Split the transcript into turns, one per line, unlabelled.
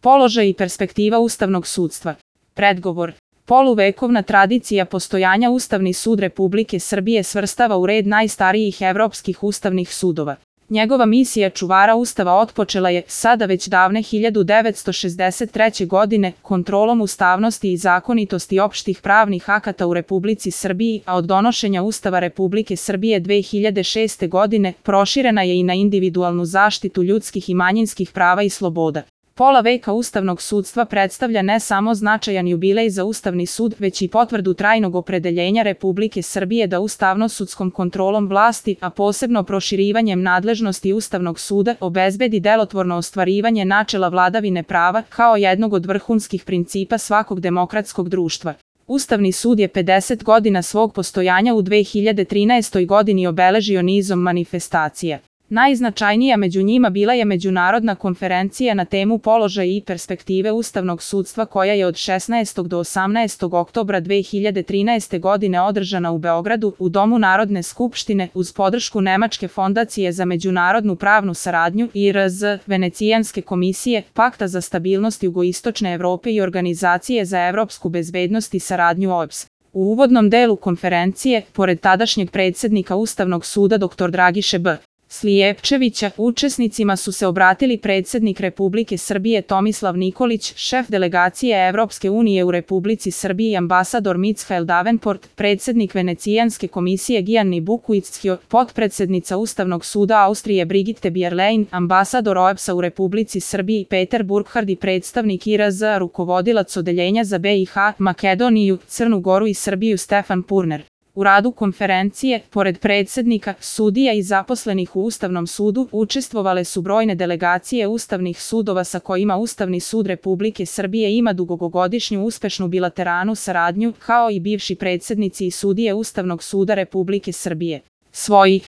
Položaj i perspektiva ustavnog sudstva. Predgovor. Poluvekovna tradicija postojanja Ustavni sud Republike Srbije svrstava u red najstarijih evropskih ustavnih sudova. Njegova misija čuvara Ustava otpočela je, sada već davne 1963. godine, kontrolom ustavnosti i zakonitosti opštih pravnih akata u Republici Srbiji, a od donošenja Ustava Republike Srbije 2006. godine proširena je i na individualnu zaštitu ljudskih i manjinskih prava i sloboda. Pola veka ustavnog sudstva predstavlja ne samo značajan jubilej za Ustavni sud, već i potvrdu trajnog opredeljenja Republike Srbije da ustavno-sudskom kontrolom vlasti, a posebno proširivanjem nadležnosti Ustavnog suda, obezbedi delotvorno ostvarivanje načela vladavine prava kao jednog od vrhunskih principa svakog demokratskog društva. Ustavni sud je 50 godina svog postojanja u 2013. godini obeležio nizom manifestacija. Najznačajnija među njima bila je međunarodna konferencija na temu položaj i perspektive ustavnog sudstva koja je od 16. do 18. oktobra 2013. godine održana u Beogradu u Domu Narodne skupštine uz podršku Nemačke fondacije za međunarodnu pravnu saradnju IRZ, Venecijanske komisije, Pakta za stabilnost Jugoistočne Evrope i Organizacije za evropsku bezbednost i saradnju OEBS. U uvodnom delu konferencije, pored tadašnjeg predsjednika Ustavnog suda dr. Dragiše B. Slijepčevića, učesnicima su se obratili predsjednik Republike Srbije Tomislav Nikolić, šef delegacije Evropske unije u Republici Srbiji ambasador Michael Davenport, predsjednik Venecijanske komisije Gianni Buquicchio, potpredsjednica Ustavnog suda Austrije Brigitte Bierlein, ambasador OEBS-a u Republici Srbiji Peter Burkhardt i predstavnik IRZ, rukovodilac odeljenja za BiH, Makedoniju, Crnu Goru i Srbiju Stefan Purner. U radu konferencije, pored predsjednika, sudija i zaposlenih u Ustavnom sudu, učestvovale su brojne delegacije ustavnih sudova sa kojima Ustavni sud Republike Srbije ima dugogodišnju uspešnu bilateralnu saradnju, kao i bivši predsjednici i sudije Ustavnog suda Republike Srbije. Svojih